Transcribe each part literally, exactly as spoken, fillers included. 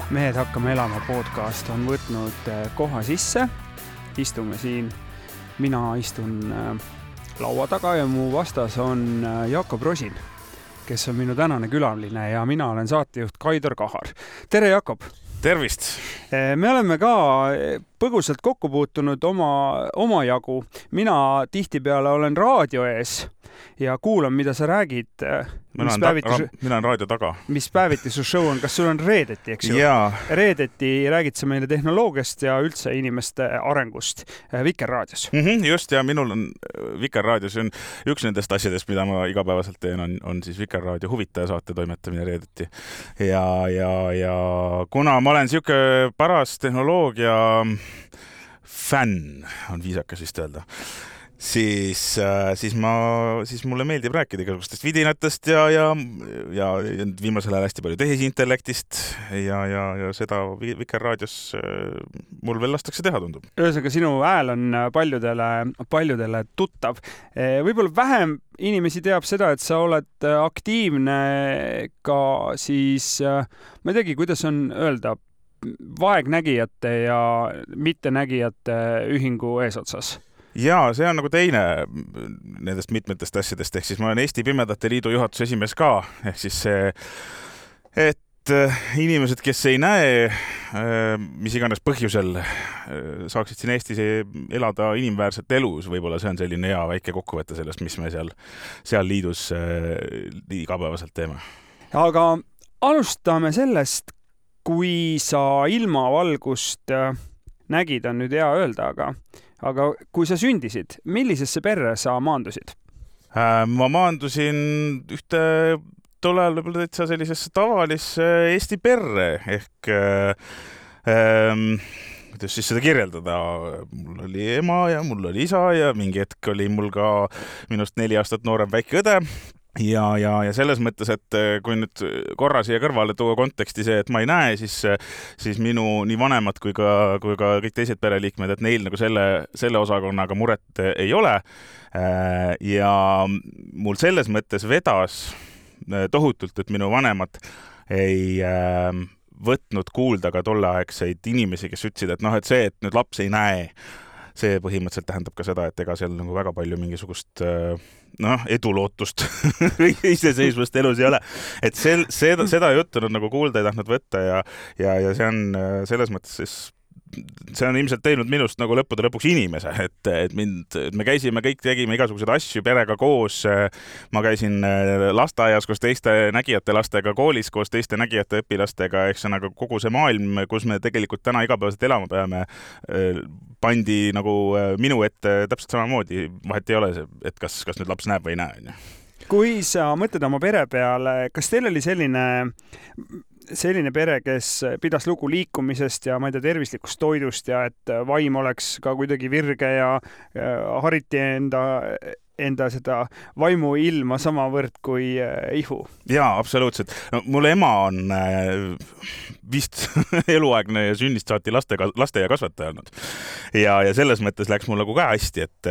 Mehed hakkame elama podcast on võtnud koha sisse. Istume siin. Mina istun laua taga ja mu vastas on Jakob Rosin, kes on minu tänane külaline ja mina olen saatejuht Kaidar Kahar. Tere, Jakob! Tervist! Me oleme ka põgusalt kokku puutunud oma, oma jagu. Mina tihtipeale olen raadio ees ja kuulan, mida sa räägid. Mina olen, päeviti, ta, mina olen raadio taga. Mis päeviti su show on? Kas sul on reedeti, eks ju? Jaa. Reedeti räägid sa meile tehnoloogiast ja üldse inimeste arengust Vikerraadios. Mm-hmm, just, ja minul on Vikerraadios on üks nendest asjadest, mida ma igapäevaselt teen, on, on siis Vikerraadio huvitaja saate toimetamine reedeti. Ja, ja, ja kuna ma olen siuke paras tehnoloogia fänn, on viisakas vist öelda, siis, siis, ma, siis mulle meeldib rääkida igasugustest vidinatest ja, ja, ja viimasel ajal hästi palju tehisintellektist ja, ja, ja seda Vikerraadios mul veel lastakse teha, tundub. Ühesõnaga, sinu hääl on paljudele, paljudele tuttav. Võib-olla vähem inimesi teab seda, et sa oled aktiivne ka siis, ma ei teagi, kuidas on öelda, vaegnägijate ja mittenägijate ühingu eesotsas. Jaa, see on nagu teine nendest mitmetest asjadest, ehk siis ma olen Eesti Pimedate Liidu juhatuse esimees ka, ehk siis see, et inimesed, kes ei näe, mis iganes põhjusel saaksid siin Eestis elada inimväärset elus, võib-olla see on selline hea väike kokkuvõte sellest, mis me seal, seal liidus igapäevaselt teeme. Aga alustame sellest, kui sa ilmavalgust nägid, on nüüd hea öelda, aga Aga kui sa sündisid, millisesse perre sa maandusid? Ma maandusin ühte tollal võib-olla täitsa sellisesse tavalisse Eesti perre, ehk ähm, kuidas siis seda kirjeldada? Mul oli ema ja mul oli isa ja mingi hetk oli mul ka minust neli aastat noorem väike õde. Ja, ja, ja selles mõttes, et kui nüüd korra siia kõrvale tuua konteksti see, et ma ei näe, siis, siis minu nii vanemad kui ka, kui ka kõik teised pereliikmed, et neil nagu selle, selle osakonnaga muret ei ole. Ja mul selles mõttes vedas tohutult, et minu vanemad ei võtnud kuulda ka tolleaegseid inimesi, kes ütlesid, et noh, et see, et nüüd laps ei näe, see põhimõtteliselt tähendab ka seda, et ega seal nagu väga palju mingisugust noh, edulootust iseseisvust elus ei ole. Et sel, seda, seda juttu nad nagu kuulda ei tahtnud võtta ja, ja, ja see on selles mõttes siis see on ilmselt teinud minust nagu lõppude lõpuks inimese, et, et, mind, et me käisime, kõik tegime igasuguseid asju perega koos. Ma käisin lasteaias koos teiste nägijate lastega, koolis koos teiste nägijate õpilastega, ehk see nagu kogu see maailm, kus me tegelikult täna igapäevaselt elama peame, pandi nagu minu ette täpselt samamoodi. Vahet ei ole see, et kas, kas nüüd laps näeb või ei näe. Kui sa mõtled oma pere peale, kas teil oli selline selline pere, kes pidas lugu liikumisest ja ma ei tea, tervislikust toidust ja et vaim oleks ka kuidagi virge ja hariti enda, enda seda vaimu ilma samavõrd kui ihu? Jaa, absoluutselt. No, mul ema on vist eluaegne ja sünnist saati laste, laste ja kasvataja olnud. Ja, ja selles mõttes läks mul nagu ka hästi, et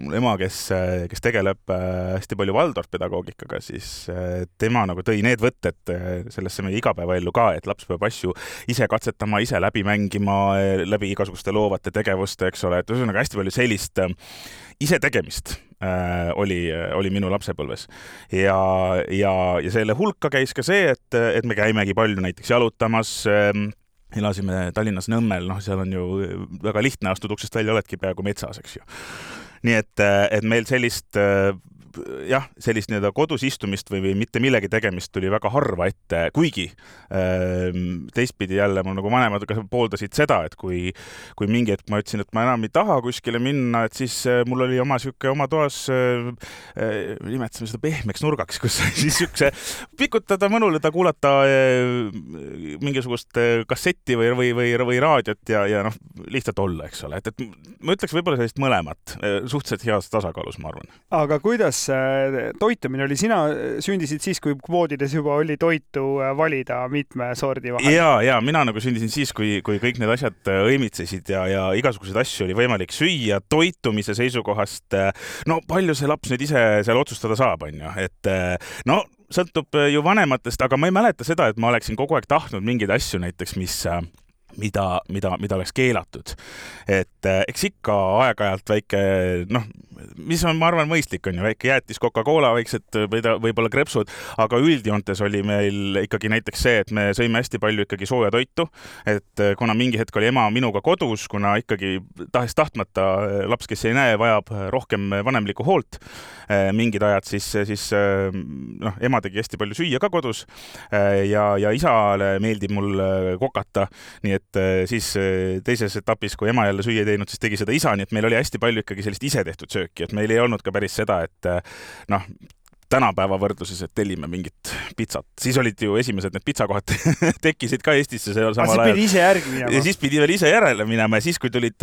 mul ema, kes, kes tegeleb hästi palju Waldorf-pedagoogikaga, siis tema nagu tõi need võtted sellesse meie igapäevaellu ka, et laps peab asju ise katsetama, ise läbi mängima, läbi igasuguste loovate tegevuste, eks ole, et ühesõnaga hästi palju sellist ise tegemist äh, oli, oli minu lapsepõlves. Ja, ja, ja selle hulka käis ka see, et, et me käimegi palju näiteks jalutamas, äh, elasime Tallinnas Nõmmel, noh, seal on ju väga lihtne, astud uksest välja, oledki peaaegu metsas, eks ju. Nii et, et meil sellist jah, sellist nii-öelda kodus istumist või, või mitte millegi tegemist tuli väga harva ette, kuigi teistpidi jälle mul nagu vanemad pooldasid seda, et kui, kui mingi hetk ma ütlesin, et ma enam ei taha kuskile minna, et siis mul oli oma siuke oma toas, nimetasin seda pehmeks nurgaks, kus siis siukse pikutada, mõnuleda, kuulata mingisugust kassetti või, või, või, või raadiot ja, ja noh, lihtsalt olla, eks ole. Et, et ma ütleks võib-olla sellist mõlemat, suhteliselt heas tasakaalus, ma arvan. Aga kuidas toitumine oli? Sina sündisid siis, kui kvoodides juba oli toitu valida mitme sordi vahel. Ja, ja mina nagu sündisin siis, kui, kui kõik need asjad õimitsesid ja, ja igasuguseid asju oli võimalik süüa toitumise seisukohast. No palju see laps nüüd ise seal otsustada saab, on ju. Et no sõltub ju vanematest, aga ma ei mäleta seda, et ma oleksin kogu aeg tahtnud mingeid asju näiteks, mis mida, mida, mida oleks keelatud. Et eks ikka aeg-ajalt väike, noh, mis on, ma arvan, mõistlik on ju, väike jäätis Coca-Cola, väiksed võib-olla krepsud, aga üldjoontes oli meil ikkagi näiteks see, et me sõime hästi palju ikkagi sooja toitu, et kuna mingi hetk oli ema minuga kodus, kuna ikkagi tahes tahtmata laps, kes ei näe, vajab rohkem vanemlikku hoolt mingid ajad, siis, siis noh, ema tegi hästi palju süüa ka kodus ja, ja isale meeldib mul kokata, nii et siis teises etapis, kui ema jälle süüa ei teinud, siis tegi seda isa, nii et meil oli hästi palju ikkagi sellist ise tehtud sööki, et meil ei olnud ka päris seda, et noh, tänapäeva võrdluses, et tellime mingit pitsat. Siis olid ju esimesed need pitsakohad tekkisid ka Eestisse. See samal ajal. Pidi ise järgi minema. Ja siis pidi veel ise järele minema ja siis, kui tulid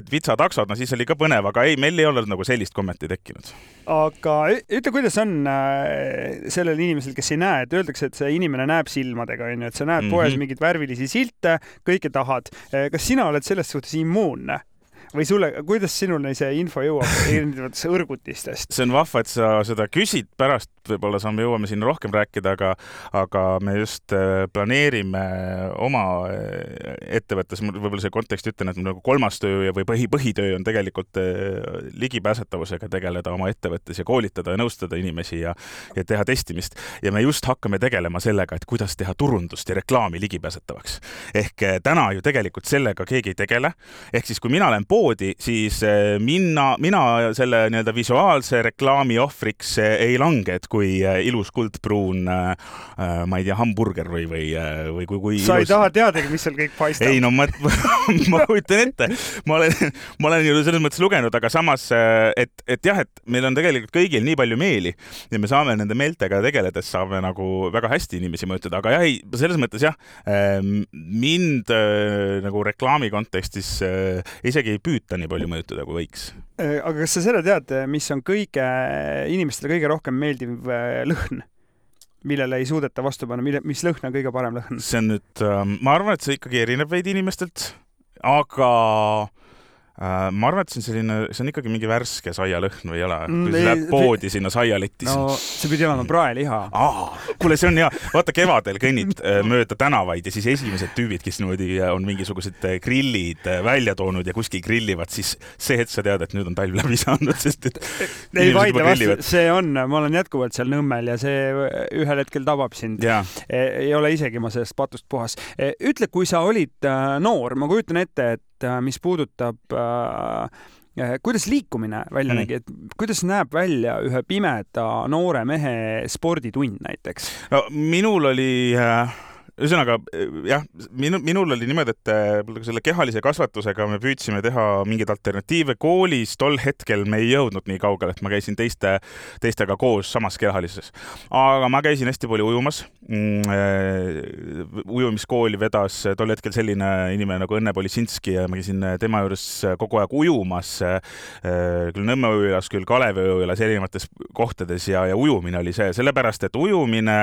pitsataksod, no siis oli ka põnev, aga ei, meil ei olnud nagu sellist kommeti tekkinud. Aga ütle, kuidas on sellel inimesel, kes ei näe, et öeldakse, et see inimene näeb silmadega, et sa näed poes mm-hmm. mingit värvilisi silte, kõike tahad. Kas sina oled selles suhtes immuunne? Või sulle, kuidas sinule see info jõuab erinevatesse õrgutistest? See on vahva, et sa seda küsid pärast, võib-olla saame jõuame sinna rohkem rääkida, aga, aga me just planeerime oma ettevõttes, võib-olla see kontekst ütlen, et nagu kolmas töö või põhi, põhitöö on tegelikult ligipääsetavusega tegeleda oma ettevõttes ja koolitada ja nõustada inimesi ja, ja teha testimist. Ja me just hakkame tegelema sellega, et kuidas teha turundust ja reklaami ligipääsetavaks. Ehk täna ju tegelikult sellega keegi ei tegele. Ehk siis, kui mina olen poodi, siis mina, mina selle nii-öelda visuaalse reklaami ohvriks ei lange, et kui ilus kuldpruun, ma ei tea, hamburger või, või, või kui, kui sa ilus... ei taha teadagi, mis seal kõik paistab. Ei, no ma, ma kujutan ette. Ma olen, ma olen ju selles mõttes lugenud, aga samas, et, et jah, et meil on tegelikult kõigil nii palju meeli ja me saame nende meeltega tegeledes saame nagu väga hästi inimesi mõjutada, aga jah, ei, selles mõttes jah, mind nagu reklaami kontekstis isegi ei püüta nii palju mõjutada, kui võiks. Aga kas sa seda tead, mis on kõige inimestele kõige rohkem meeldiv lõhn, millele ei suudeta vastu panna, mille, mis lõhn on kõige parem lõhn? See on nüüd, ma arvan, et see ikkagi erineb veidi inimestelt, aga ma arvan, et see on selline, see on ikkagi mingi värske saialõhn või ei ole, kui see läheb poodi sinna saialetti. No see pidi olema praeliha. Aa, kuule, see on hea. Vaata, kevadel kõnnid mööda tänavaid ja siis esimesed tüübid, kes niimoodi on mingisugused grillid välja toonud ja kuskil grillivad, siis see hetk sa tead, et nüüd on talv läbi saanud, sest et ei vaidle vastu, see on, ma olen jätkuvalt seal Nõmmel ja see ühel hetkel tabab sind. Ja. Ei ole isegi ma sellest patust puhas. Ütle, kui sa olid noor, ma kujutan ette, et mis puudutab äh, kuidas liikumine välja mm. nägi, et kuidas näeb välja ühe pimeda noore mehe sporditund näiteks? No minul oli äh... Ühesõnaga, jah, minu, minul oli niimoodi, et selle kehalise kasvatusega me püüdsime teha mingeid alternatiive koolis. Tol hetkel me ei jõudnud nii kaugele, et ma käisin teiste, teistega koos samas kehalises. Aga ma käisin hästi palju ujumas. Ujumiskooli vedas tol hetkel selline inimene nagu Õnne Polisinski ja ma käisin tema juures kogu aeg ujumas. Küll Nõmme ujulas, küll Kalevi ujulas erinevates kohtades ja, ja ujumine oli see. Sellepärast, et ujumine,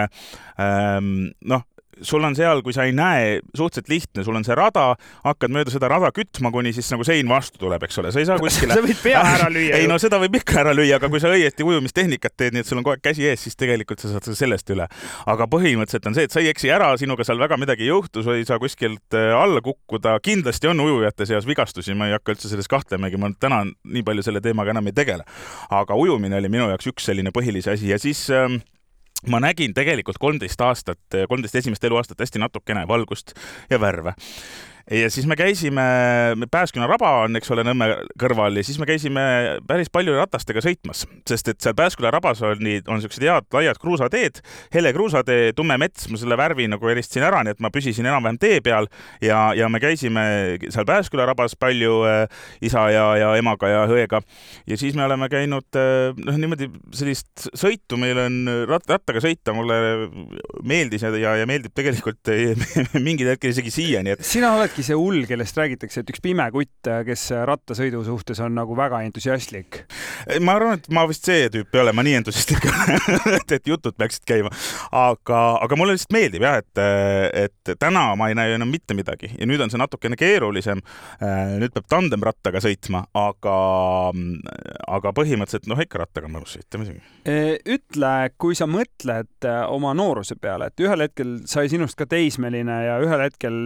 noh, sul on seal, kui sa ei näe, suhteliselt lihtne, sul on see rada, hakkad mööda seda rada kütma, kuni siis nagu sein vastu tuleb, eks ole. Sa ei saa kuskile... sa võid pea ära lüüa. Ei, no seda võib ikka ära lüüa, aga kui sa õieti ujumistehnikat teed, nii et sul on kogu aeg käsi ees, siis tegelikult sa saad sellest üle. Aga põhimõtteliselt on see, et sa ei eksi ära, sinuga seal väga midagi juhtu, sa ei saa kuskilt alla kukkuda. Kindlasti on ujujate seas vigastusi, ma ei hakka üldse selles kahtlemegi, ma täna nii palju selle teemaga enam ei tegele. Aga ujumine oli minu jaoks üks selline põhilise asi ja siis... ma nägin tegelikult kolmteist aastat, kolmteist esimest eluaastat hästi natukene valgust ja värve. Ja siis me käisime, Pääsküla raba on, eks ole, Nõmme kõrval ja siis me käisime päris palju ratastega sõitmas, sest et seal Pääsküla rabas on, on sellised head laiad kruusateed, hele kruusatee, tumme mets, ma selle värvi nagu eristasin ära, nii et ma püsisin enam-vähem tee peal ja, ja me käisime seal Pääsküla rabas palju äh, isa ja, ja emaga ja õega ja siis me oleme käinud äh, noh, niimoodi sellist sõitu, meil on rat, rattaga sõita, mulle meeldis ja, ja, ja meeldib tegelikult mingid hetkel isegi siia, nii et sina oledki äkki see hull, kellest räägitakse, et üks pime kutt, kes rattasõidu suhtes on nagu väga entusiastlik? Ma arvan, et ma vist see tüüp ei ole, ma nii entusiastlik et, et jutud peaksid käima. Aga, aga mulle lihtsalt meeldib jah, et, et täna ma ei näe enam mitte midagi ja nüüd on see natukene keerulisem. Nüüd peab tandemrattaga sõitma, aga, aga põhimõtteliselt noh, ikka rattaga mõnus sõita. Ütle, kui sa mõtled oma nooruse peale, et ühel hetkel sai sinust ka teismeline ja ühel hetkel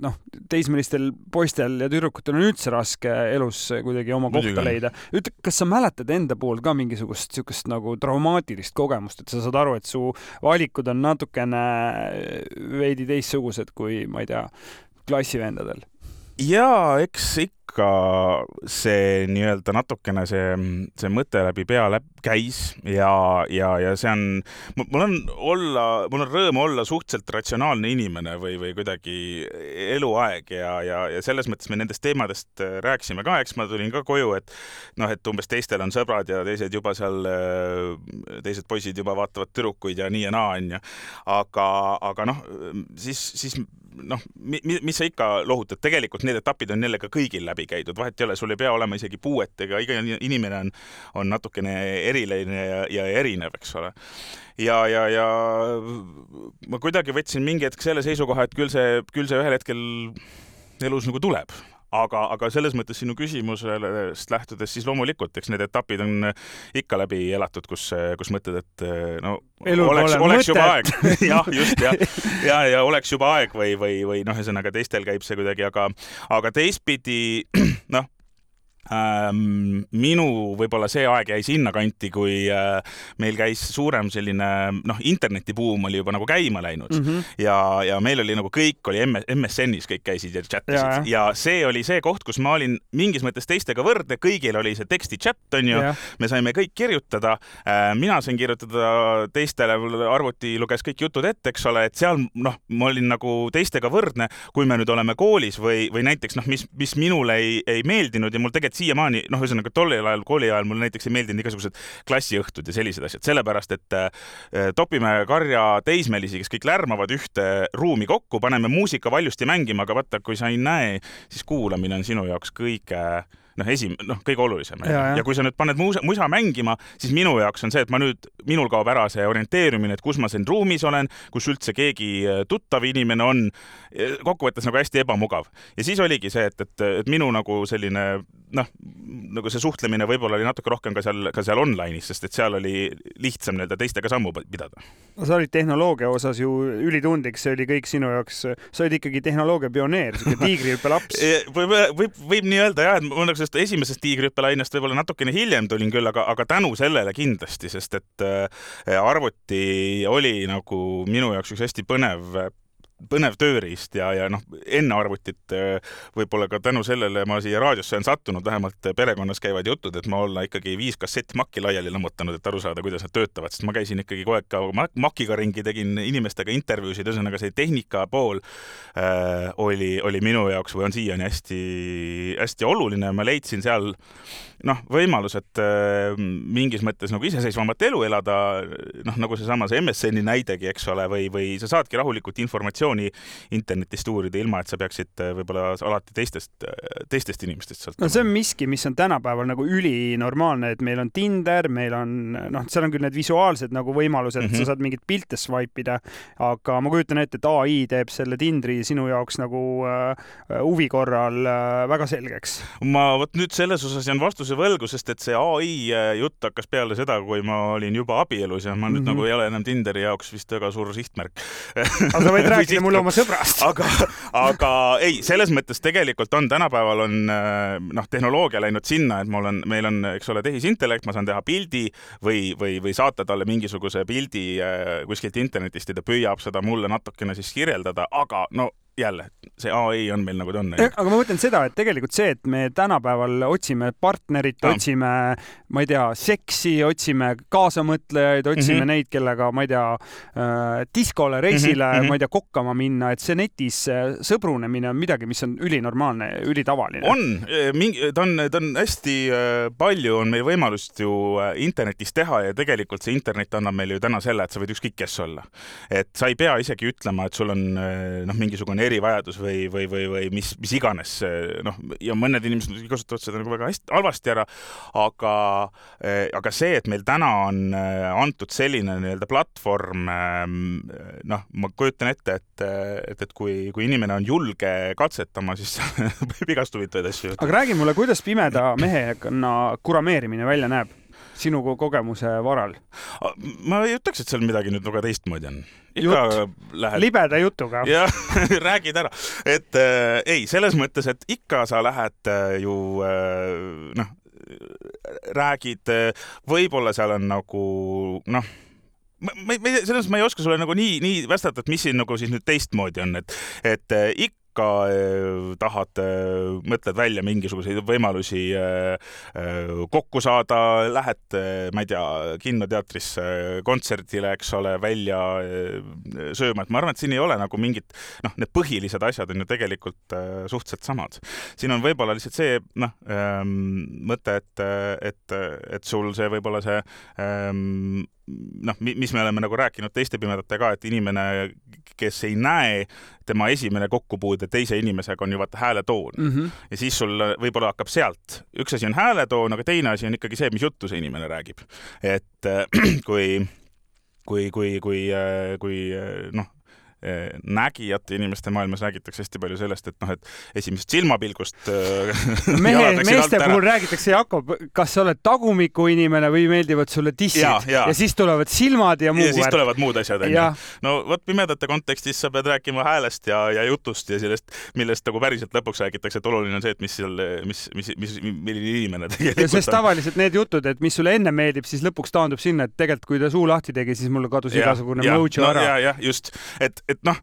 noh, teismelistel poistel ja tüdrukutel on üldse raske elus kuidagi oma kohta leida. Ütle, kas sa mäletad enda pool ka mingisugust sihukest nagu traumaatilist kogemust, et sa saad aru, et su valikud on natukene veidi teistsugused kui, ma ei tea, klassivendadel? Jaa, eks ikka see nii-öelda natukene see, see mõte läbi pea läbi käis ja, ja, ja see on, mul on olla, mul on rõõm olla suhteliselt ratsionaalne inimene või, või kuidagi eluaeg ja, ja, ja selles mõttes me nendest teemadest rääkisime ka, eks ma tulin ka koju, et noh, et umbes teistel on sõbrad ja teised juba seal, teised poisid juba vaatavad tüdrukuid ja nii ja naa, on ju. Aga, aga noh, siis, siis noh, mis sa ikka lohutad, tegelikult need etapid on jälle ka kõigil läbi käidud, vahet ei ole, sul ei pea olema isegi puuet, ega iga inimene on, on natukene eriline ja, ja erinev, eks ole. Ja, ja, ja ma kuidagi võtsin mingi hetk selle seisukoha, et küll see, küll see ühel hetkel elus nagu tuleb. Aga, aga selles mõttes sinu küsimusest lähtudes siis loomulikult, eks need etapid on ikka läbi elatud, kus, kus mõtled, et no Elul oleks, oleks juba aeg. jah, just, ja, ja, ja oleks juba aeg või, või, või noh, ühesõnaga teistel käib see kuidagi, aga, aga teistpidi, noh, Ähm, minu võib-olla see aeg jäi sinna kanti, kui äh, meil käis suurem selline, noh, internetibuum oli juba nagu käima läinud mm -hmm. ja, ja meil oli nagu kõik oli M S N-is, kõik käisid ja chatisid ja, ja see oli see koht, kus ma olin mingis mõttes teistega võrdne, kõigil oli see teksti chat, on ju, ja. Me saime kõik kirjutada, äh, mina sain kirjutada teistele, arvuti luges kõik jutud ette, eks ole, et seal, noh, ma olin nagu teistega võrdne, kui me nüüd oleme koolis või, või näiteks, noh, mis, mis minule ei, ei meeldinud ja mul tegelikult siiamaani, noh, ühesõnaga tollel ajal, kooli ajal mulle näiteks ei meeldinud igasugused klassiõhtud ja sellised asjad, sellepärast, et äh, topime karja teismelisi, kes kõik lärmavad ühte ruumi kokku, paneme muusika valjusti mängima, aga vaata, kui sa ei näe, siis kuulamine on sinu jaoks kõige noh, esim-, noh, kõige olulisem. Ja, ja. ja kui sa nüüd paned musa, musa mängima, siis minu jaoks on see, et ma nüüd, minul kaob ära see orienteerimine, et kus ma siin ruumis olen, kus üldse keegi tuttav inimene on, kokkuvõttes nagu hästi ebamugav. Ja siis oligi see, et, et, et minu nagu selline, noh, nagu see suhtlemine võib-olla oli natuke rohkem ka seal, ka seal online'is, sest et seal oli lihtsam nii-öelda teistega sammu pidada. No, sa olid tehnoloogia osas ju ülitundlik, see oli kõik sinu jaoks, sa olid ikkagi tehnoloogia pioneer, tiigrihüppe laps. võib, võib, võib nii öelda jah, et mul nagu esimesest tiigrihüppelainest võib-olla natukene hiljem tulin küll, aga, aga tänu sellele kindlasti, sest et arvuti oli nagu minu jaoks üks hästi põnev põnev tööriist ja, ja noh, enne arvutit võib-olla ka tänu sellele ma siia raadiosse on sattunud, vähemalt perekonnas käivad jutud, et ma olla ikkagi viis kassett makki laiali lammutanud, et aru saada, kuidas nad töötavad, sest ma käisin ikkagi kogu aeg ka makiga ringi, tegin inimestega intervjuusid, ühesõnaga see tehnika pool äh, oli, oli minu jaoks või on siiani hästi, hästi oluline. Ma leidsin seal noh, võimalus, et äh, mingis mõttes nagu iseseisvamat elu elada, noh, nagu seesama see M S N-i näidegi, eks ole, või, või sa saadki rahulikult informatsiooni internetist uurida, ilma et sa peaksid võib-olla alati teistest, teistest inimestest sõltuma. No see on miski, mis on tänapäeval nagu ülinormaalne, et meil on Tinder, meil on, noh, seal on küll need visuaalsed nagu võimalused, et mm -hmm. sa saad mingit pilte swipe'ida, aga ma kujutan ette, et A I teeb selle Tindri sinu jaoks nagu uh, huvi korral uh, väga selgeks. Ma võt nüüd selles osas jään vastuse võlgu, sest et see A I jutt hakkas peale seda, kui ma olin juba abielus ja ma nüüd mm -hmm. nagu ei ole enam Tinderi jaoks vist väga suur sihtmärk. Aga sa võid rääkida mulle oma sõbrast. aga, aga ei, selles mõttes tegelikult on tänapäeval on noh, tehnoloogia läinud sinna, et mul on, meil on, eks ole, tehisintellekt, ma saan teha pildi või, või, või saata talle mingisuguse pildi kuskilt internetist ja ta püüab seda mulle natukene siis kirjeldada, aga no jälle, see A I on meil nagu ta on. Aga ma mõtlen seda, et tegelikult see, et me tänapäeval otsime partnerit, no. otsime, ma ei tea, seksi, otsime kaasamõtlejaid, otsime mm -hmm. neid, kellega, ma ei tea, äh, diskole, reisile mm, -hmm. ma ei tea, kokkama minna, et see netis sõbrunemine on midagi, mis on ülinormaalne, ülitavaline. On, ta on, ta on hästi palju, on meil võimalust ju internetis teha ja tegelikult see internet annab meile ju täna selle, et sa võid ükskõik kes olla. Et sa ei pea isegi ütlema, et sul on noh, mingisugune erivajadus või, või, või, või mis, mis iganes, noh, ja mõned inimesed kasutavad seda nagu väga hästi, halvasti ära, aga, aga see, et meil täna on antud selline nii-öelda platvorm, noh, ma kujutan ette, et, et, et kui, kui inimene on julge katsetama, siis võib igast huvitavaid asju. Aga räägi mulle, kuidas pimeda mehekonna kurameerimine välja näeb sinu kogemuse varal? Ma ei ütleks, et seal midagi nüüd väga teistmoodi on. Ikka lähed... Libeda jutuga. Jah, räägid ära. Et äh, ei, selles mõttes, et ikka sa lähed äh, ju äh, noh, räägid, äh, võib-olla seal on nagu noh, Ma, ma, selles ma ei oska sulle nagu nii, nii vastata, et mis siin nagu siis nüüd teistmoodi on, et, et äh, ikka tahad, mõtled välja mingisuguseid võimalusi kokku saada, lähed, ma ei tea, kinnoteatrisse, kontserdile, eks ole, välja sööma, et ma arvan, et siin ei ole nagu mingit, noh, need põhilised asjad on ju tegelikult suhteliselt samad. Siin on võib-olla lihtsalt see, noh, mõte, et, et, et sul see võib-olla see noh, mis me oleme nagu rääkinud teiste pimedate ka, et inimene, kes ei näe, tema esimene kokkupuude teise inimesega on ju vaata hääletoon. Mm -hmm. Ja siis sul võib-olla hakkab sealt. Üks asi on hääletoon, aga teine asi on ikkagi see, mis juttu see inimene räägib. Et kui, kui, kui, kui, kui noh, nägijate inimeste maailmas räägitakse hästi palju sellest, et noh, et esimesest silmapilgust mehe, meeste puhul räägitakse, Jakob, kas sa oled tagumiku inimene või meeldivad sulle tissid ja, ja. ja siis tulevad silmad ja muu. Ja siis tulevad muud asjad. No vot pimedate kontekstis sa pead rääkima häälest ja, ja jutust ja sellest, millest nagu päriselt lõpuks räägitakse, et oluline on see, et mis seal, mis, mis, mis, milline inimene tegelikult ja sest tavaliselt need jutud, et mis sulle enne meeldib, siis lõpuks taandub sinna, et tegelikult kui ta suu lahti tegi, siis mulle kadus ja, igasugune ja, mojo no, ära. Ja, ja, just. Et et noh,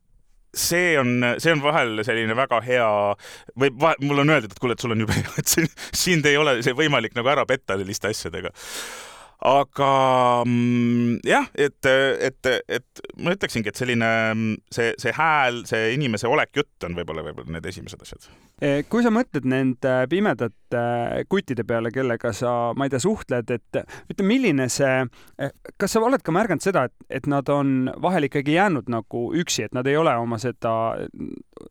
see on, see on vahel selline väga hea, või vahel, mul on öeldud, et kuule, et sul on jube hea, et siin, sind ei ole see võimalik nagu ära petta selliste asjadega. Aga jah, et, et, et ma ütleksingi, et selline see, see hääl, see inimese olek jutt on võib-olla, võib-olla need esimesed asjad. Kui sa mõtled nende pimedate kuttide peale, kellega sa, ma ei tea, suhtled, et ütle, milline see, kas sa oled ka märganud seda, et, et nad on vahel ikkagi jäänud nagu üksi, et nad ei ole oma seda,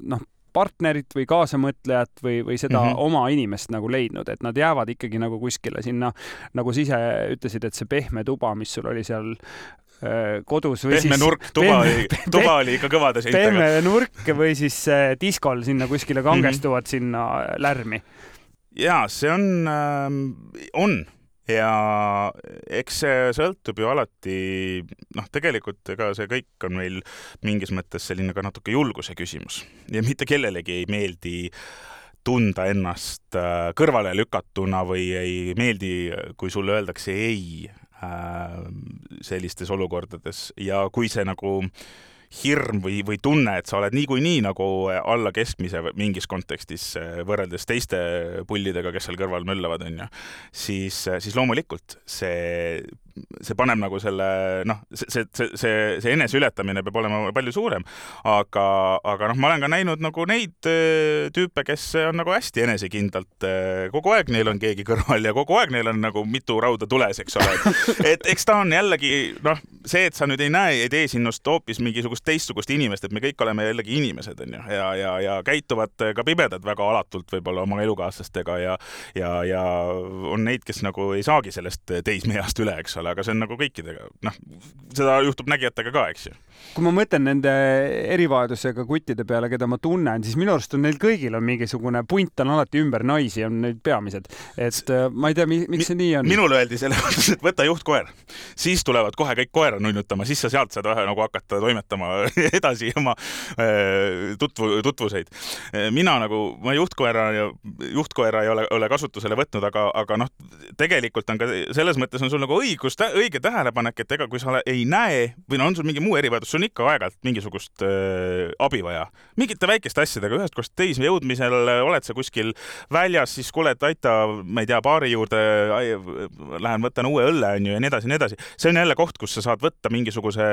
noh, partnerit või kaasamõtlejat või, või seda mm -hmm. oma inimest nagu leidnud, et nad jäävad ikkagi nagu kuskile sinna, nagu sa ise ütlesid, et see pehme tuba, mis sul oli seal äh, kodus või pehme siis... nurk, tuba, pehme, oli, tuba peh, oli ikka kõvade seintega. Pehme nurk või siis äh, diskol sinna kuskile kangestuvad mm -hmm. sinna lärmi. Jaa, see on, äh, on. Ja eks see sõltub ju alati, noh, tegelikult ega see kõik on meil mingis mõttes selline ka natuke julguse küsimus ja mitte kellelegi ei meeldi tunda ennast kõrvale lükatuna või ei meeldi, kui sulle öeldakse ei sellistes olukordades ja kui see nagu hirm või, või tunne, et sa oled niikuinii nagu alla keskmise mingis kontekstis võrreldes teiste pullidega, kes seal kõrval möllavad, on ju, siis, siis loomulikult see, see paneb nagu selle, noh, see, see, see, see enese ületamine peab olema palju suurem, aga, aga noh, ma olen ka näinud nagu neid tüüpe, kes on nagu hästi enesekindlalt, kogu aeg neil on keegi kõrval ja kogu aeg neil on nagu mitu rauda tules, eks ole. Et eks ta on jällegi, noh, see, et sa nüüd ei näe, ei tee sinust hoopis mingisugust teistsugust inimest, et me kõik oleme jällegi inimesed, on ju, ja, ja, ja käituvad ka pimedad väga alatult võib-olla oma elukaaslastega ja, ja, ja on neid, kes nagu ei saagi sellest teismeast üle, eks ole, aga see on nagu kõikidega, noh, seda juhtub nägijatega ka, eks ju. Kui ma mõtlen nende erivajadusega kuttide peale, keda ma tunnen, siis minu arust on neil kõigil on mingisugune punt on alati ümber naisi, on need peamised. Et ma ei tea, miks see nii on. Minule öeldi selle, et võta juhtkoer. Siis tulevad kohe kõik koera nunnutama, siis sa sealt saad vähe nagu hakata toimetama edasi oma tutvu, tutvuseid. Mina nagu, ma juhtkoera, juhtkoera ei ole, ole kasutusele võtnud, aga, aga noh, tegelikult on ka selles mõttes on sul nagu õigus, õige tähelepanek, et ega kui sa ei näe või no on sul mingi muu erivajadus, sul on ikka aeg-ajalt mingisugust äh, abi vaja. Mingite väikeste asjadega ühest kohast teise jõudmisel oled sa kuskil väljas, siis kuule, et aita, ma ei tea, baari juurde, lähen võtan uue õlle on ju, ja nii edasi, nii edasi. See on jälle koht, kus sa saad võtta mingisuguse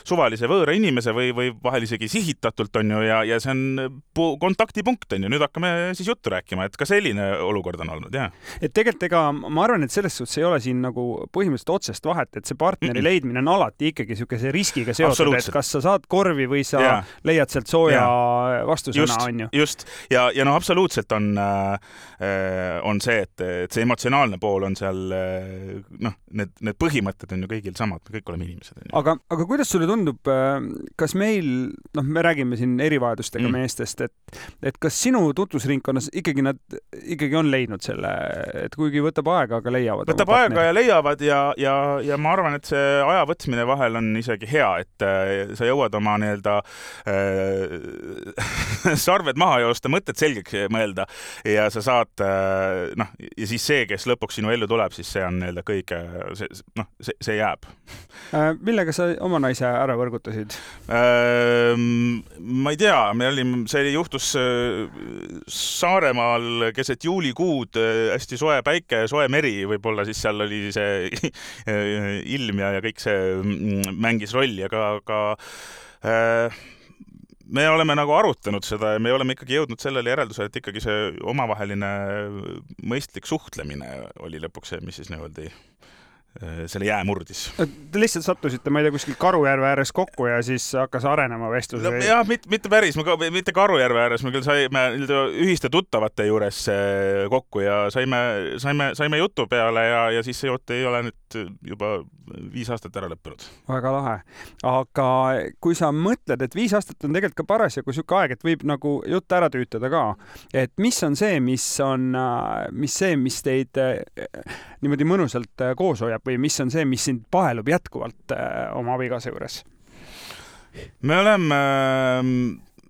suvalise võõra inimese või, või vahel isegi sihitatult on ju, ja, ja see on kontaktipunkt on ju. Nüüd hakkame siis juttu rääkima, et ka selline olukord on olnud, jah. Et tegelikult ega ma arvan, et selles suhtes ei ole siin nagu põhimõtteliselt otsest vahet, et see partneri mm-mm. leidmine on alati ikkagi niisuguse riskiga seotud, et kas sa saad korvi või sa ja. leiad sealt sooja ja. vastusõna, on ju. Just, ja, ja no absoluutselt on, äh, on see, et, et see emotsionaalne pool on seal, noh, need, need põhimõtted on ju kõigil samad, me kõik oleme inimesed. Aga, aga kuidas sulle tundub, kas meil, noh, me räägime siin erivajadustega mm. meestest, et, et kas sinu tutvusringkonnas ikkagi nad ikkagi on leidnud selle, et kuigi võtab aega, aga leiavad. Võtab aega ja leiavad ja, ja, ja ma arvan, et see aja võtmine vahel on isegi hea, et äh, sa jõuad oma nii-öelda äh, sarved maha joosta, mõtted selgeks mõelda ja sa saad, äh, noh, ja siis see, kes lõpuks sinu ellu tuleb, siis see on nii-öelda kõige, see, noh, see, see jääb. Äh, millega sa oma naise ära võrgutasid? Äh, ma ei tea, me olime, see juhtus Saaremaal keset juulikuud, hästi soe päike, soe meri, võib-olla siis seal oli see ilm ja, ja kõik see mängis rolli, aga, aga äh, me oleme nagu arutanud seda ja me oleme ikkagi jõudnud sellele järeldusele, et ikkagi see omavaheline mõistlik suhtlemine oli lõpuks see, mis siis nii-öelda selle jää murdis. Te lihtsalt sattusite, ma ei tea, kuskil Karujärve ääres kokku ja siis hakkas arenema vestlus? No, jah, mitte, mitte päris, mitte Karujärve ääres, me küll saime ühiste tuttavate juures kokku ja saime, saime, saime jutu peale ja, ja siis see jutt ei ole nüüd juba viis aastat ära lõppenud. Väga lahe. Aga kui sa mõtled, et viis aastat on tegelikult ka parasjagu siuke aeg, et võib nagu jutt ära tüütada ka, et mis on see, mis on, mis see, mis teid niimoodi mõnusalt koos hoiab või mis on see, mis sind pahelub jätkuvalt oma abikaasa juures? Me oleme,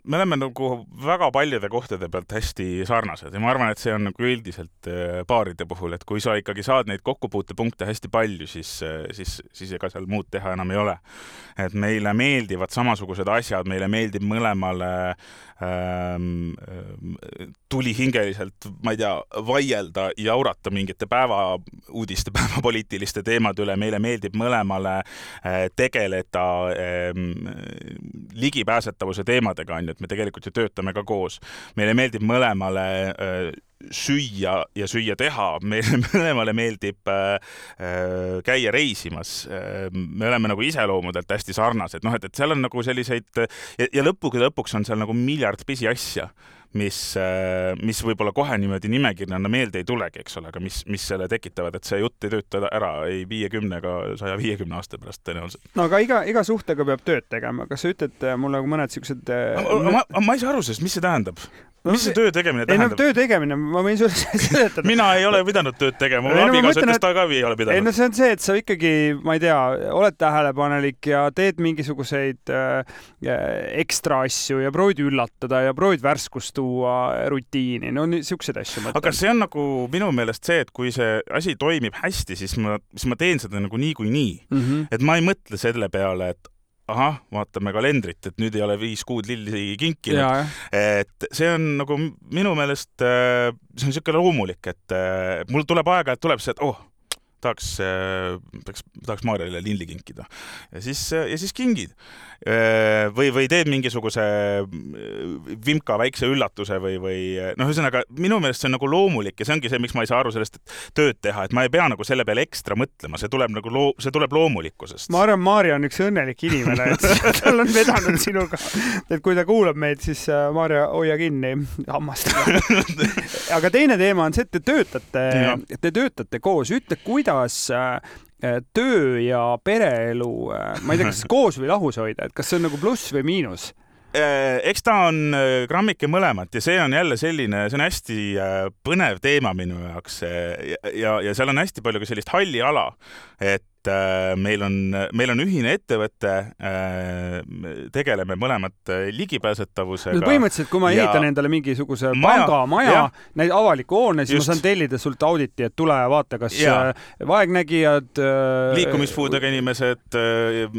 me oleme nagu väga paljude kohtade pealt hästi sarnased ja ma arvan, et see on nagu üldiselt paaride puhul, et kui sa ikkagi saad neid kokkupuutepunkte hästi palju, siis, siis, siis ega seal muud teha enam ei ole. Et meile meeldivad samasugused asjad, meile meeldib mõlemale ähm, tulihingeliselt, ma ei tea, vaielda ja aurata mingite päevauudiste, päevapoliitiliste teemade üle, meile meeldib mõlemale äh, tegeleda äh, ligipääsetavuse teemadega, on ju, et me tegelikult ju töötame ka koos. Meile meeldib mõlemale äh, süüa ja süüa teha. Meile mõlemale meeldib äh, käia reisimas. Me oleme nagu iseloomudelt hästi sarnased. Noh, et, et seal on nagu selliseid ja, ja lõpugi lõpuks on seal nagu miljard pisi asja, mis, mis võib-olla kohe niimoodi nimekirjana meelde ei tulegi, eks ole, aga mis, mis selle tekitavad, et see jutt ei tööta ära ei viiekümne ega saja viiekümne aasta pärast tõenäoliselt. No aga iga, iga suhtega peab tööd tegema. Kas sa ütled mulle mõned siuksed... Ma, ma, ma ei saa aru sellest, mis see tähendab? No, mis see töö tegemine tähendab? Ei, no töö tegemine, ma võin sulle seletada. Mina ei ole pidanud tööd tegema, mu abikaasa ütles, ta ka ei ole pidanud. Ei, no see on see, et sa ikkagi, ma ei tea, oled tähelepanelik ja teed mingisuguseid äh, ekstra asju ja proovid üllatada ja proovid värskust tuua rutiini. No niisuguseid asju mõtlen. Aga see on nagu minu meelest see, et kui see asi toimib hästi, siis ma, siis ma teen seda nagu nii kui nii. Mm-hmm. Et ma ei mõtle selle peale, et ahah, vaatame kalendrit, et nüüd ei ole viis kuud lilli kinkinud. Et see on nagu minu meelest, see on siuke loomulik, et mul tuleb aega, et tuleb see, et oh, tahaks, tahaks, tahaks Maarjale lilli kinkida. Ja siis, ja siis kingid. Või, või teed mingisuguse vimka väikse üllatuse või, või noh, ühesõnaga, minu meelest see on nagu loomulik ja see ongi see, miks ma ei saa aru sellest, et tööd teha, et ma ei pea nagu selle peale ekstra mõtlema, see tuleb nagu loo, see tuleb loomulikkusest. Ma arvan, Maarja on üks õnnelik inimene, et tal on vedanud sinuga, et kui ta kuulab meid, siis Maarja, hoia kinni hammast. Aga teine teema on see, et te töötate, te töötate koos, ütle, kuidas töö ja pereelu, ma ei tea, kas koos või lahus hoida, et kas see on nagu pluss või miinus? Eks ta on grammike mõlemat ja see on jälle selline, see on hästi põnev teema minu jaoks ja, ja seal on hästi palju ka sellist halli ala, et meil on, meil on ühine ettevõte, tegeleme mõlemad ligipääsetavusega. No põhimõtteliselt, kui ma ehitan ja endale mingisuguse panga, maja, neid avaliku hoone, siis just. Ma saan tellida sult auditi, et tule ja vaata, kas ja. vaegnägijad, liikumispuudega inimesed,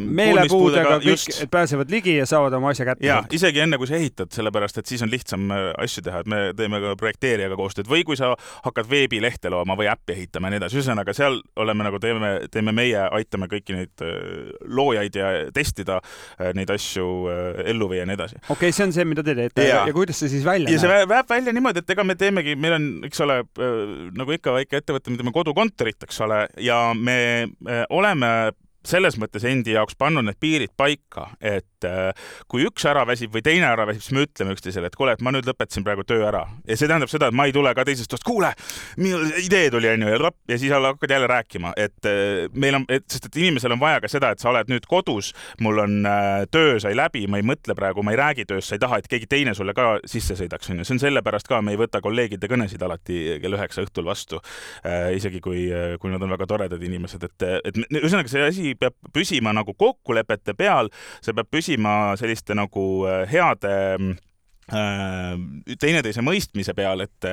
meelepuudega, kõik, et pääsevad ligi ja saavad oma asja kätte. Ja, isegi enne kui sa ehitad, sellepärast, et siis on lihtsam asju teha, et me teeme ka projekteerijaga koostööd või kui sa hakkad veebilehte looma või äppi ehitama ja nii edasi, ühesõnaga seal oleme nagu teeme, teeme meie meie aitame kõiki neid loojaid ja testida neid asju ellu viia ja nii edasi. Okei, okay, see on see, mida te teete ja, ja kuidas see siis välja ja see näeb välja niimoodi, et ega me teemegi, meil on, eks ole, nagu ikka väike ettevõte, me teeme kodukontorit, eks ole, ja me oleme selles mõttes endi jaoks pannud need piirid paika, et kui üks ära väsib või teine ära väsib, siis me ütleme üksteisele, et kuule, et ma nüüd lõpetasin praegu töö ära. Ja see tähendab seda, et ma ei tule ka teisest toast, kuule, minul idee tuli on ju, ja, ja siis hakkad jälle rääkima, et meil on, et, sest et inimesel on vaja ka seda, et sa oled nüüd kodus, mul on töö sai läbi, ma ei mõtle praegu, ma ei räägi tööst, sa ei taha, et keegi teine sulle ka sisse sõidaks. On ju. See on sellepärast ka, me ei võta kolleegide kõnesid alati kell üheksa õhtul vastu, isegi kui, kui nad on väga toredad inimesed. Et, et ühesõnaga see asi peab püsima nagu kokkulepete peal, see peab püsima selliste nagu heade teineteise mõistmise peal, et,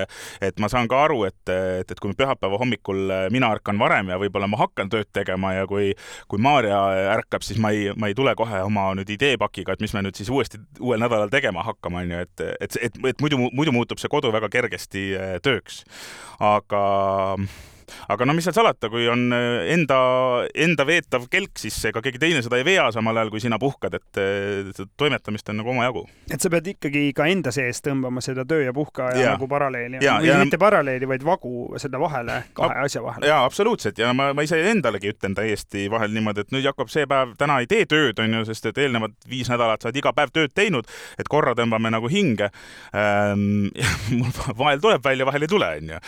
et ma saan ka aru, et, et, et kui pühapäeva hommikul mina ärkan varem ja võib-olla ma hakkan tööd tegema ja kui, kui Maarja ärkab, siis ma ei, ma ei tule kohe oma nüüd ideepakiga, et mis me nüüd siis uuesti uuel nädalal tegema hakkama, on ju, et, et, et, et muidu, muidu muutub see kodu väga kergesti tööks. Aga Aga no mis seal salata, kui on enda, enda veetav kelk, siis ega keegi teine seda ei vea samal ajal, kui sina puhkad, et toimetamist on nagu oma jagu. Et sa pead ikkagi ka enda sees tõmbama seda töö ja puhka ja, ja nagu paralleeli. Ja, või ja, mitte paralleeli, vaid vagu seda vahele, kahe ab, asja vahele. Jaa, absoluutselt. Ja ma, ma ise endalegi ütlen täiesti vahel niimoodi, et nüüd Jakob see päev täna ei tee tööd, on ju, sest et eelnevad viis nädalat sa oled iga päev tööd teinud, et korra tõmbame nagu hinge. Ähm, mul vahel tuleb välja, vahel ei tule, on ju.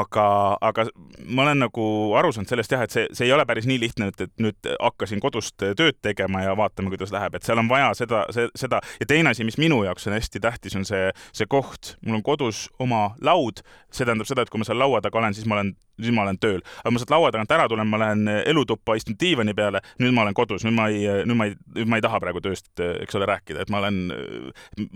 Aga, aga ma olen nagu aru saanud sellest jah, et see, see ei ole päris nii lihtne, et, et nüüd hakkasin kodust tööd tegema ja vaatame, kuidas läheb, et seal on vaja seda, seda ja teine asi, mis minu jaoks on hästi tähtis, on see, see koht. Mul on kodus oma laud, see tähendab seda, et kui ma seal laua taga olen, siis ma olen, siis ma olen tööl. Aga ma sealt laua tagant ära tulen, ma lähen elutuppa, istun diivani peale, nüüd ma olen kodus, nüüd ma ei, nüüd ma ei, nüüd ma ei taha praegu tööst, eks ole, rääkida, et ma olen,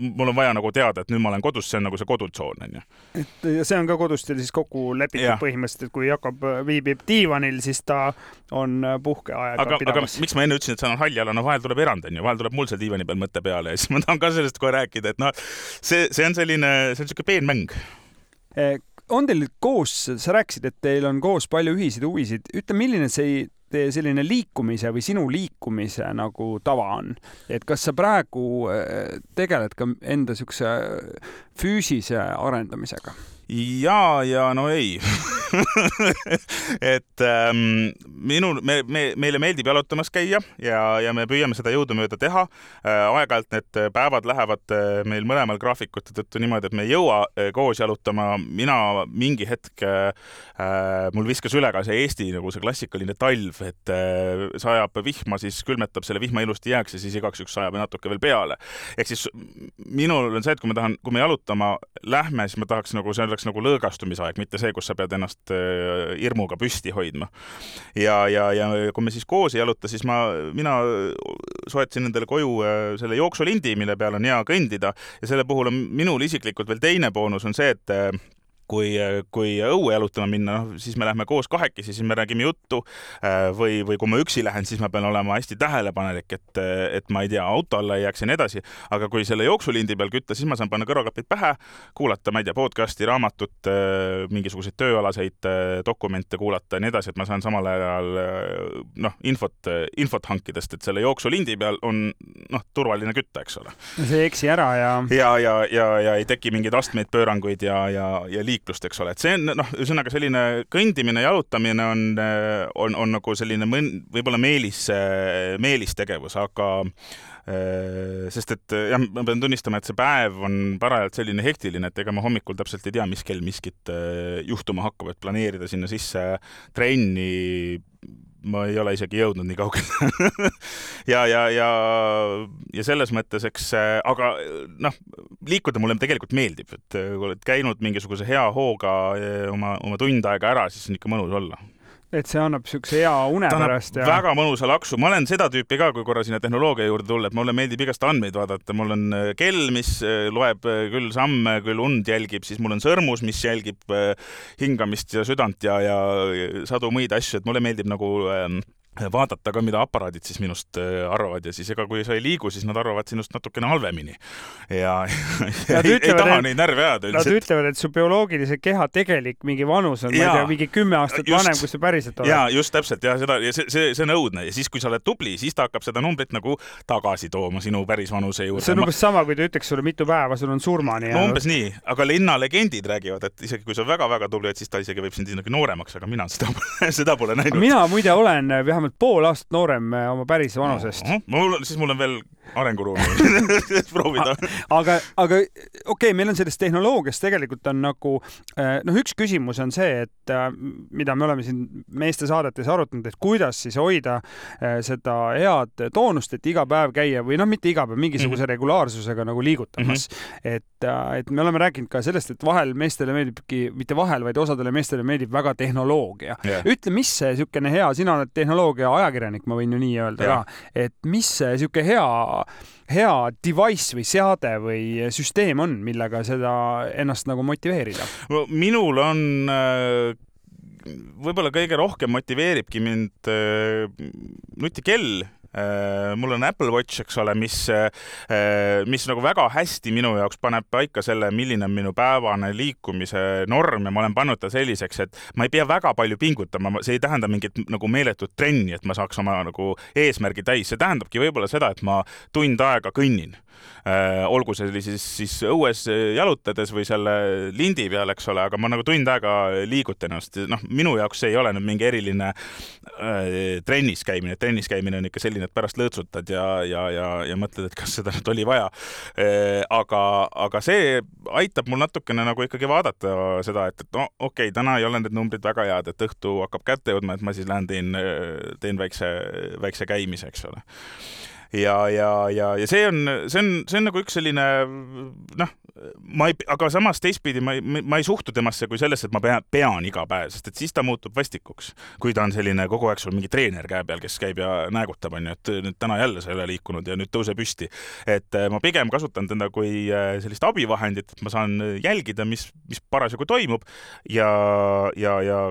mul on vaja nagu teada, et nüüd ma olen kodus, see on nagu see kodutsoon, on ju. Et see on ka kodust siis kokku lepitud põhimõtteliselt, et kui Jakob viibib diivanil, siis ta on puhkeaega aga, pidamas. Aga miks ma enne ütlesin, et see on haljala, no vahel tuleb erand, on ju, vahel tuleb mul seal diivani peal mõtte peale ja siis ma tahan ka sellest kohe rääkida, et noh, see, see on selline, see on selline peenmäng. On teil koos, sa rääkisid, et teil on koos palju ühiseid huvisid. Ütle, milline see teie selline liikumise või sinu liikumise nagu tava on? Et kas sa praegu tegeled ka enda sükse füüsise arendamisega? Ja, ja no ei. et ähm, minul, me, me, meile meeldib jalutamas käia ja, ja me püüame seda jõudumööda teha. Äh, aeg-ajalt need päevad lähevad meil mõlemal graafikute tõttu niimoodi, et me ei jõua koos jalutama. Mina mingi hetk, äh, mul viskas üle ka see Eesti nagu see klassikaline talv, et äh, sajab vihma, siis külmetab selle vihma ilusti jääks ja siis igaks üks sajab natuke veel peale. Ehk siis minul on see, et kui me tahan, kui me jalutama lähme, siis ma tahaks nagu see oleks nagu lõõgastumisaeg, mitte see, kus sa pead ennast hirmuga püsti hoidma. Ja, ja, ja kui me siis koos ei jaluta, siis ma, mina soetasin endale koju selle jooksulindi, mille peal on hea kõndida ja selle puhul on minul isiklikult veel teine boonus on see, et kui, kui õue jalutama minna, no, siis me lähme koos kahekesi, siis me räägime juttu või, või kui ma üksi lähen, siis ma pean olema hästi tähelepanelik, et, et ma ei tea, auto alla ei jääks ja nii edasi. Aga kui selle jooksulindi peal kütta, siis ma saan panna kõrvaklapid pähe, kuulata, ma ei tea, podcasti, raamatut, mingisuguseid tööalaseid dokumente kuulata ja nii edasi, et ma saan samal ajal noh, infot, infot hankidest, et selle jooksulindi peal on noh, turvaline kütta, eks ole. See eksi ära ja... Ja, ja, ja, ja ei teki mingeid astmeid, pööranguid ja, ja, ja liiklust, eks ole. Et see on, noh, ühesõnaga selline kõndimine, jalutamine on, on, on nagu selline mõn, võib-olla meelis, meelis tegevus, aga sest et jah, ma pean tunnistama, et see päev on parajalt selline hektiline, et ega ma hommikul täpselt ei tea, mis kell miskit juhtuma hakkab, et planeerida sinna sisse trenni, ma ei ole isegi jõudnud nii kaugele. ja, ja, ja, ja selles mõttes, eks, aga noh, liikuda mulle tegelikult meeldib, et kui oled käinud mingisuguse hea hooga oma, oma tund aega ära, siis on ikka mõnus olla. Et see annab sükse hea une pärast. Ja... väga mõnusa laksu. Ma olen seda tüüpi ka, kui korra sinna tehnoloogia juurde tulla, et mulle meeldib igast andmeid vaadata. Mul on kell, mis loeb küll samme, küll und jälgib, siis mul on sõrmus, mis jälgib hingamist ja südant ja, ja sadu muid asju, et mulle meeldib nagu vaadata ka, mida aparaadid siis minust arvavad ja siis ega kui sa ei liigu, siis nad arvavad sinust natukene halvemini. Ja, ja ei, ei taha et, neid närve ajada. Nad üldiselt. Ütlevad, et su bioloogilise keha tegelik mingi vanus on, ja, ma ei tea, mingi kümme aastat just, vanem, kui see päriselt oled. Jaa, just täpselt. Ja, seda, ja see, see, see on õudne. Ja siis, kui sa oled tubli, siis ta hakkab seda numbrit nagu tagasi tooma sinu päris vanuse juurde. See on umbes sama, kui ta ütleks sulle mitu päeva, sul on surmani. No umbes nii. Aga linnalegendid räägivad, et isegi kui sa väga-väga tubli, et siis ta isegi võib sind nagu nooremaks, aga mina seda, seda pole näinud. Mina muide olen vähemalt pool aastat noorem oma päris vanusest. No, mul, siis mul on veel arenguruumi proovida. aga, aga okei, okay, meil on sellest tehnoloogiast tegelikult on nagu, noh, üks küsimus on see, et mida me oleme siin meeste saadetes arutanud, et kuidas siis hoida seda head toonust, et iga päev käia või noh, mitte iga päev, mingisuguse mm-hmm. regulaarsusega nagu liigutamas. Mm-hmm. Et, et me oleme rääkinud ka sellest, et vahel meestele meeldibki, mitte vahel, vaid osadele meestele meeldib väga tehnoloogia. Yeah. Ütle, mis see sükene hea, sina oled tehnoloogia ajakirjanik, ma võin ju nii öelda yeah. ka, et mis see süke hea hea device või seade või süsteem on, millega seda ennast nagu motiveerida? Minul on võib-olla kõige rohkem motiveeribki mind nutikell. Mul on Apple Watch, eks ole, mis, mis nagu väga hästi minu jaoks paneb paika selle, milline on minu päevane liikumise norm ja ma olen pannud ta selliseks, et ma ei pea väga palju pingutama, see ei tähenda mingit nagu meeletut trenni, et ma saaks oma nagu eesmärgi täis, see tähendabki võib-olla seda, et ma tund aega kõnnin. Olgu see siis, siis õues jalutades või selle lindi peal, eks ole, aga ma nagu tund aega liigutan ennast. Noh, minu jaoks see ei ole nüüd mingi eriline äh, trennis käimine. Trennis käimine on ikka selline, et pärast lõõtsutad ja, ja, ja, ja mõtled, et kas seda nüüd oli vaja. Äh, aga, aga see aitab mul natukene nagu ikkagi vaadata seda, et, et no okei, okay, täna ei ole need numbrid väga head, et õhtu hakkab kätte jõudma, et ma siis lähen teen, teen väikse, väikse käimise, eks ole. Ja, ja, ja, ja see on, see on, see on nagu üks selline, noh, ma ei, aga samas teistpidi ma ei, ma ei suhtu temasse kui sellest, et ma pean, pean iga päev, sest et siis ta muutub vastikuks. Kui ta on selline kogu aeg sul mingi treener käe peal, kes käib ja näägutab, on ju, et nüüd täna jälle sa ei ole liikunud ja nüüd tõuse püsti. Et ma pigem kasutan teda kui sellist abivahendit, et ma saan jälgida, mis, mis parasjagu toimub ja, ja, ja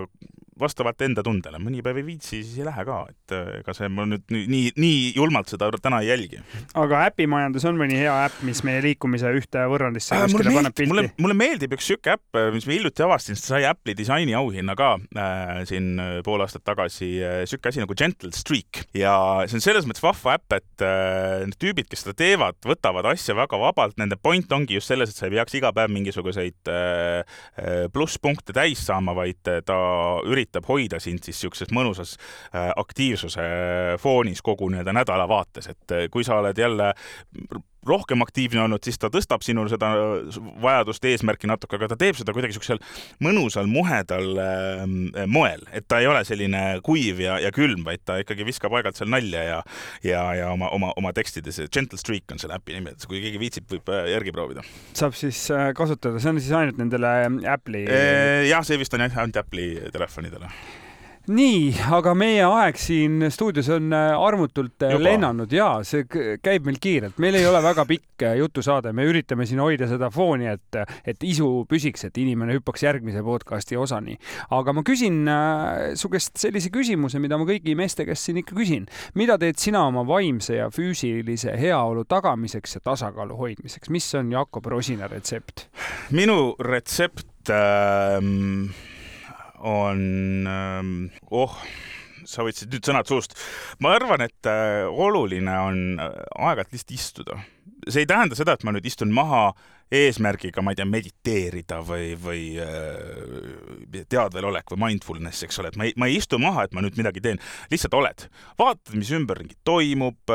vastavalt enda tundele. Mõni päev ei viitsi, siis ei lähe ka. Et ega see ma nüüd nii, nii julmalt seda täna ei jälgi. Aga äpimajandus on mõni hea äpp, mis meie liikumise ühte võrrandisse äh, kuskile paneb pilti? Mulle, mulle meeldib üks süke äpp, mis me hiljuti avastin, sest sai Apple'i disaini auhinna ka äh, siin pool aastat tagasi. Süke asi nagu Gentle Streak. Ja see on selles mõttes vahva äpp, et äh, need tüübid, kes seda teevad, võtavad asja väga vabalt. Nende point ongi just selles, et sa ei peaks iga päev mingisuguseid äh, plusspunkte täis saama, vaid ta üritab üritab hoida sind siis siukses mõnusas aktiivsuse foonis kogu nii-öelda nädala vaates, et kui sa oled jälle rohkem aktiivne olnud, siis ta tõstab sinul seda vajadust eesmärki natuke, aga ta teeb seda kuidagi siuksel mõnusal muhedal moel, et ta ei ole selline kuiv ja, ja külm, vaid ta ikkagi viskab aegalt seal nalja ja, ja, ja oma, oma, oma tekstides. Gentle Streak on selle äpi nimi, et kui keegi viitsib, võib järgi proovida. Saab siis kasutada, see on siis ainult nendele Apple'i? Jah, see vist on ainult Apple'i telefonidele. Nii, aga meie aeg siin stuudios on armutult Juba. lennanud ja see käib meil kiirelt. Meil ei ole väga pikk jutusaade. Me üritame siin hoida seda fooni, et, et isu püsiks, et inimene hüppaks järgmise podcasti osani. Aga ma küsin su käest sellise küsimuse, mida ma kõigi meeste käest siin ikka küsin. Mida teed sina oma vaimse ja füüsilise heaolu tagamiseks ja tasakaalu hoidmiseks? Mis on Jakob Rosina retsept? Minu retsept... Ähm... on, oh, sa võtsid nüüd sõnad suust. Ma arvan, et oluline on aeg-ajalt lihtsalt istuda. See ei tähenda seda, et ma nüüd istun maha eesmärgiga, ma ei tea, mediteerida või, või teadvelolek või mindfulness, eks ole, et ma ei, ma ei istu maha, et ma nüüd midagi teen. Lihtsalt oled. Vaatad, mis ümberringi toimub.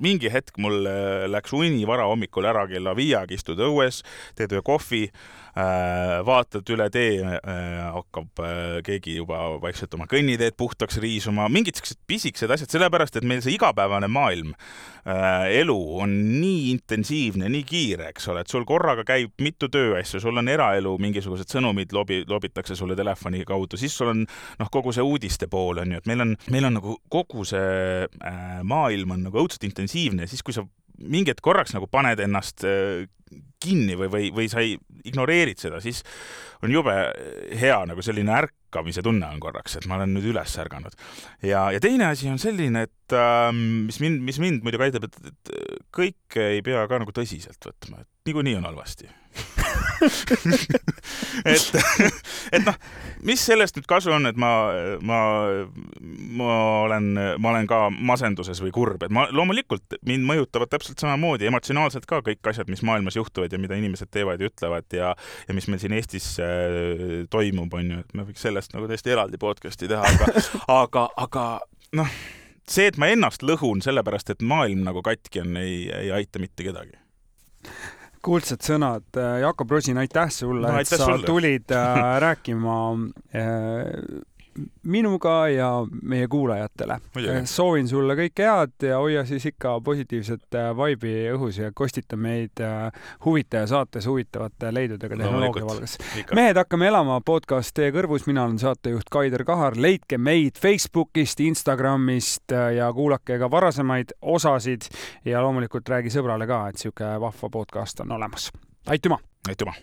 Mingi hetk mul läks uni vara hommikul ära kella viiaga, istud õues, teed ühe kohvi, vaatad üle tee, hakkab keegi juba vaikselt oma kõnniteed puhtaks riisuma, mingid pisikesed asjad, sellepärast, et meil see igapäevane maailm, elu on nii intensiivne, nii kiire, eks ole, et sul korraga käib mitu tööasju, sul on eraelu, mingisugused sõnumid lobi, lobitakse sulle telefoni kaudu, siis sul on noh, kogu see uudiste pool on ju, et meil on, meil on nagu kogu see maailm on nagu õudselt intensiivne ja siis, kui sa mingid korraks nagu paned ennast kinni või, või, või sa ei ignoreerid seda, siis on jube hea nagu selline ärkamise tunne on korraks, et ma olen nüüd üles ärganud. Ja, ja teine asi on selline, et äh, mis mind, mis mind muidugi aitab, et, et kõik ei pea ka nagu tõsiselt võtma, et niikuinii on halvasti. et, et noh, mis sellest nüüd kasu on, et ma, ma, ma olen, ma olen ka masenduses või kurb, et ma loomulikult mind mõjutavad täpselt samamoodi emotsionaalselt ka kõik asjad, mis maailmas juhtuvad ja mida inimesed teevad ja ütlevad ja, ja mis meil siin Eestis äh, toimub, on ju, et me võiks sellest nagu täiesti eraldi podcasti teha, aga, aga, aga noh, see, et ma ennast lõhun sellepärast, et maailm nagu katki on, ei, ei aita mitte kedagi. Kuldsed sõnad. Jakob Rosin, aitäh sulle, no, aitäh et sa sulle. tulid äh, rääkima äh, minuga ja meie kuulajatele. Soovin sulle kõike head ja hoia siis ikka positiivset vaibi õhus ja kostita meid huvitaja saates huvitavate leidudega tehnoloogia no, valges. Mehed hakkame elama podcast Teie kõrvus. Mina olen saatejuht Kaider Kahar. Leidke meid Facebookist, Instagramist ja kuulake ka varasemaid osasid ja loomulikult räägi sõbrale ka, et siuke vahva podcast on olemas. Aitüma! Aitüma!